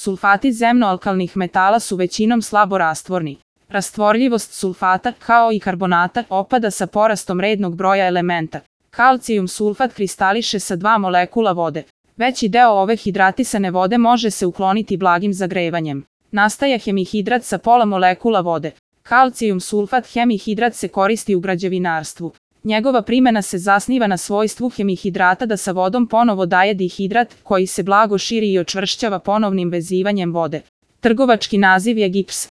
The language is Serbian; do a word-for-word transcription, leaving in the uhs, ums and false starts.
Sulfati zemnoalkalnih metala su većinom slabo rastvorni. Rastvorljivost sulfata, kao i karbonata, opada sa porastom rednog broja elementa. Kalcijum sulfat kristališe sa dva molekula vode. Veći deo ove hidratisane vode može se ukloniti blagim zagrevanjem. Nastaje hemihidrat sa pola molekula vode. Kalcijum sulfat hemihidrat se koristi u građevinarstvu. Njegova primjena se zasniva na svojstvu hemihidrata da sa vodom ponovo daje dihidrat, koji se blago širi i očvršćava ponovnim vezivanjem vode. Trgovački naziv je gips.